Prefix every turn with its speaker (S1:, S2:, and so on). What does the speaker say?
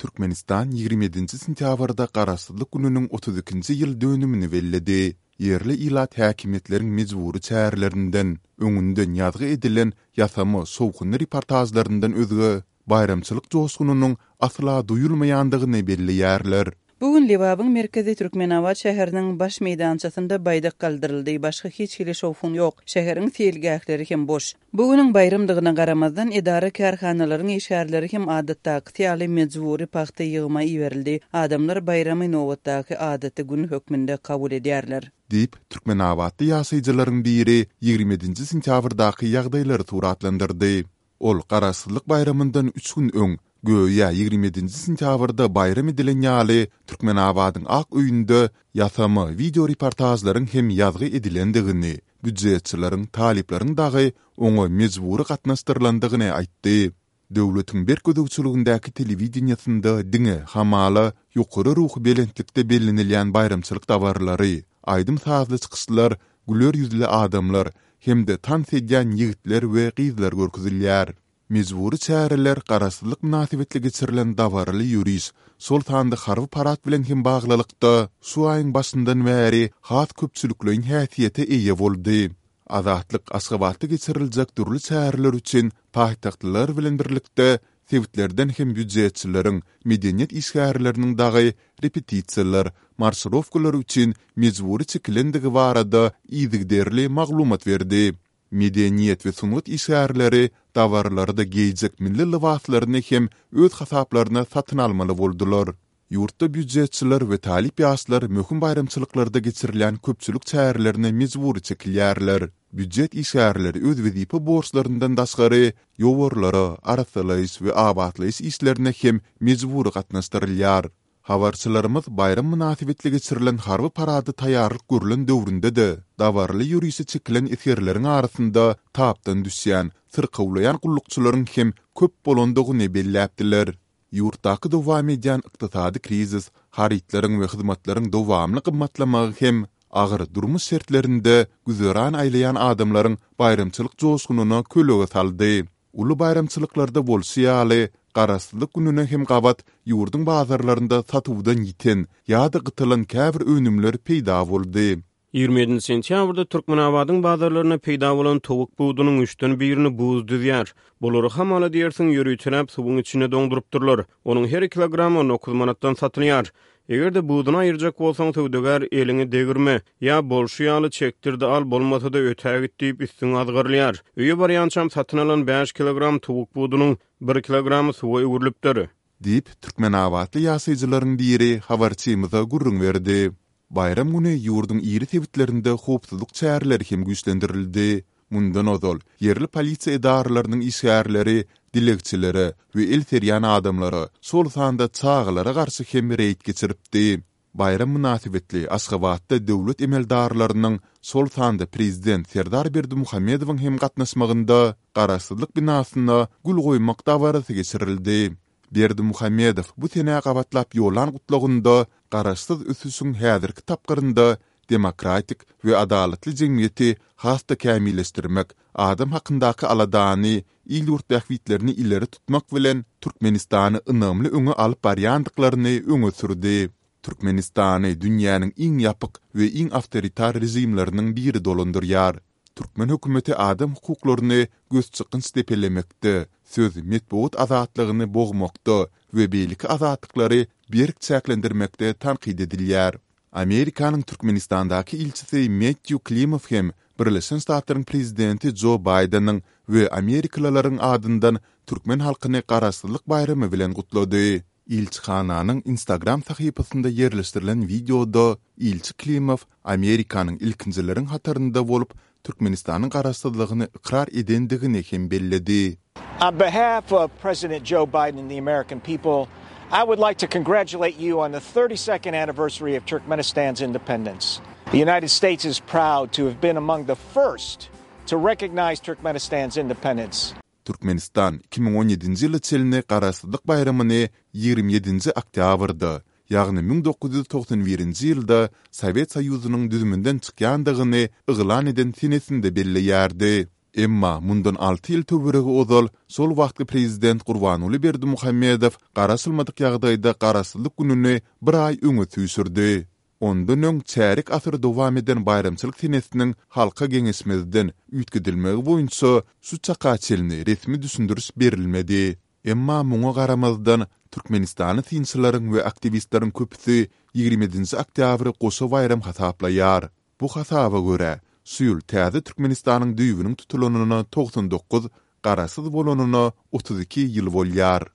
S1: Türkmenistan 27-nji sentýabrda Garaşsyzlyk gününiň 32-nji ýyl dönümini belledi. Ýerli ilat häkimiýetleriň mejbury çärelerinden, öňünden ýazgy edilen ýasama şowhunly reportažlaryndan özge, baýramçylyk joşgunynyň asla duýulmaýandygyny belleýärler.
S2: Bu gün Lebabyň merkezi Türkmenabat şäheriniň baş meýdançasynda baýdak galdyryldy, başga hiç hili şowhun ýok. Şäheriň seýilgähleri hem boş. Bu günüň baýramdygyna garamazdan, edara-kärhanalaryň işgärleri hem adatdakysy ýaly mejbury pagta ýygyma iberildi. Adamlar baýramy nobatdaky adaty gün hökmünde kabul edýärler.
S1: Diýip, türkmenabatly ýaşaýjylaryň biri 27-nji sentýabrdaky ýagdaýlary suratlandyrdy. Ol Garaşsyzlyk baýramyndan üç gün öň, göýä 27-nji sentýabrda baýram edilen ýaly, Türkmenabadyň Ak öýünde ýasama wideoreportažlaryň hem ýazgy edilendigini, býujetçileriň, talyplaryň dagy oňa mejbury gatnaşdyrylandygyny aýtdy. Döwletiň berk gözegçiligindäki telewideniýesinde diňe, hamala, ýokary ruhubelentlikde bellenilýän baýramçylyk dabaralary, aýdym-sazly çykyşlar, güler ýüzli adamlar hem-de tans edýän ýigitler we gyzlar görkezilýär. Mejbury çäreler Garaşsyzlyk mynasybetli geçirilen dabaraly ýöriş, şol sanda harby parad bilen hem baglylykda, şu aýyň başyndan bäri has köpçülikleýin häsiýete eýe boldy. Azatlyk Aşgabatda geçiriljek dürli çäreler üçin paýtagtlylar bilen birlikde sebitlerden hem býujetçileriň, medeniýet işgärleriniň dagy repetisiýalar, marşirowkalar üçin mejbury çekilendigi barada yzygiderli maglumat berdi. Medeniýet we sungat işgärleri dabaralarda geýjek milli lybaslaryny hem öz hasaplaryna satyn almaly boldular. Ýurtda býujetçiler we talyp ýaşlar möhüm baýramçylyklarda geçirilýän köpçülik çärelerine mejbury çekilýärler. Býujet işgärleri öz wezipe borçlaryndan daşgary ýowarlara, arassalaýyş we abatlaýyş işlerine hem mejbury gatnaşdyrylýar. Habarçylarymyz baýram mynasybetli geçirilen harby parada taýýarlyk görlen döwründe-de, dabaraly ýörişe çekilen esgerleriň arasynda tapdan düşýän, syrkawlaýan gullukçylaryň hem köp bolandygyny belläpdiler. Ýurtdaky dowam edýän ykdysady krizis, harytlaryň we hyzmatlaryň dowamly gymmatlamagy hem agyr durmuş şertlerinde güzeran aýlaýan adamlaryň baýramçylyk joşgunyna kölege saldy. Uly baýramçylyklarda bolşy ýaly, Garaşsyzlyk gününe hem gabat ýurduň bazarlarynda satuwdan ýiten ýa-da gytalan käbir önümler peýda boldy.
S3: 27 sentýabrda Türkmenabadyň bazarlarynda peýda bolan towuk budunyň üçden birini buz düzýär. Bulary hamala diýersiň ýöriteläp suwuň içinde doňdurypdyrlar. Onuň her kilogramy 19 manatdan satylýar. Eger-de buduny aýyrjak bolsaň, söwdagär eliňi degirme, ýa bolşy ýaly çekdir-de al, bolmasa-da ötägit diýip üstüňe azgyrylýar. Öýe barýançam satyn alan bäş kilogram towuk budunyň bir kilogramy suwa öwrülipdir.
S1: Diýip, türkmenabatly ýaşaýjylaryň biri habarçymyza gürrüň berdi. Baýram güni ýurduň iri sebitlerinde howpsuzlyk çäreleri hem güýçlendirildi. Mundan ozal, ýerli polisiýa edaralarynyň işgärleri dilegçilere we el serýän adamlara, şol sanda çagalara garşy hem reýd geçiripdi. Baýram mynasybetli Aşgabatda döwlet emeldarlarynyň, şol sanda prezident Serdar Berdimuhamedowyň hem gatnaşmagynda Garaşsyzlyk binasyna gül goýmak dabarasy geçirildi. Berdimuhamedow bu senä gabatlap ýollan gutlagynda garaşsyz ösüşiň häzirki tapgyrynda demokratik we adalatly jemgyýeti has-da kämilleşdirmek, adam hakyndaky aladany, il-ýurt bähbitlerini ileri tutmak bilen, Türkmenistany ynamly öňe alyp barýandyklaryny öňe sürdi. Türkmenistany dünýäniň iň ýapyk we iň awtoritar režimleriniň biri dolandyrýar. Türkmen hökümeti adam hukuklaryny gözçykgynç depelemekde, söz, metbugat azatlygyny bogmakda we beýleki azatlyklary berk çäklendirmekde tankyt edilýär. Amerikanyň Türkmenistandaky ilçisi Mettýu Klimow hem Birleşen Ştatlaryň prezidenti Jo Baýdeniň we amerikalylaryň adyndan türkmen halkyny Garaşsyzlyk baýramy bilen gutlady. Ilçihananyň Instagram sahypasynda ýerleşdirilen wideoda ilçi Klimow Amerikanyň ilkinjileriň hatarynda bolup Türkmenistanyň garaşsyzlygyny ykrar edendigini hem belledi.
S4: On behalf of President Joe Biden and the American people, I would like to congratulate you on the 32nd anniversary of Turkmenistan's independence. The United States is proud to have been among the first to recognize Turkmenistan's independence.
S1: Türkmenistan 2017-nji ýyla çenli Garaşsyzlyk baýramyny 27-nji oktýabrda, ýagny 1991-nji ýylda Sowet Soýuzynyň düzüminden çykýandygyny yglan eden senesinde belleýärdi. Emma mundan alty ýyl töweregi ozal şol wagtky prezident Gurbanguly Berdimuhamedow garaşylmadyk ýagdaýda Garaşsyzlyk gününi bir aý öňe süýşürdi. Ondan öň çärýek asyr dowam eden baýramçylyk senesiniň halka geňeşmezden üýtgedilmegi boýunça şu çaka çenli resmi düşündiriş berilmedi. Emma muňa garamazdan, türkmenistanly synçylaryň we aktiwistleriň köpüsi 27-nji oktýabry goşa baýram hasaplaýar. Bu hasaba görä, şu ýyl täze Türkmenistanyň düýbüniň tutulanyna 99, garaşsyz bolanyna 32 ýyl bolýar.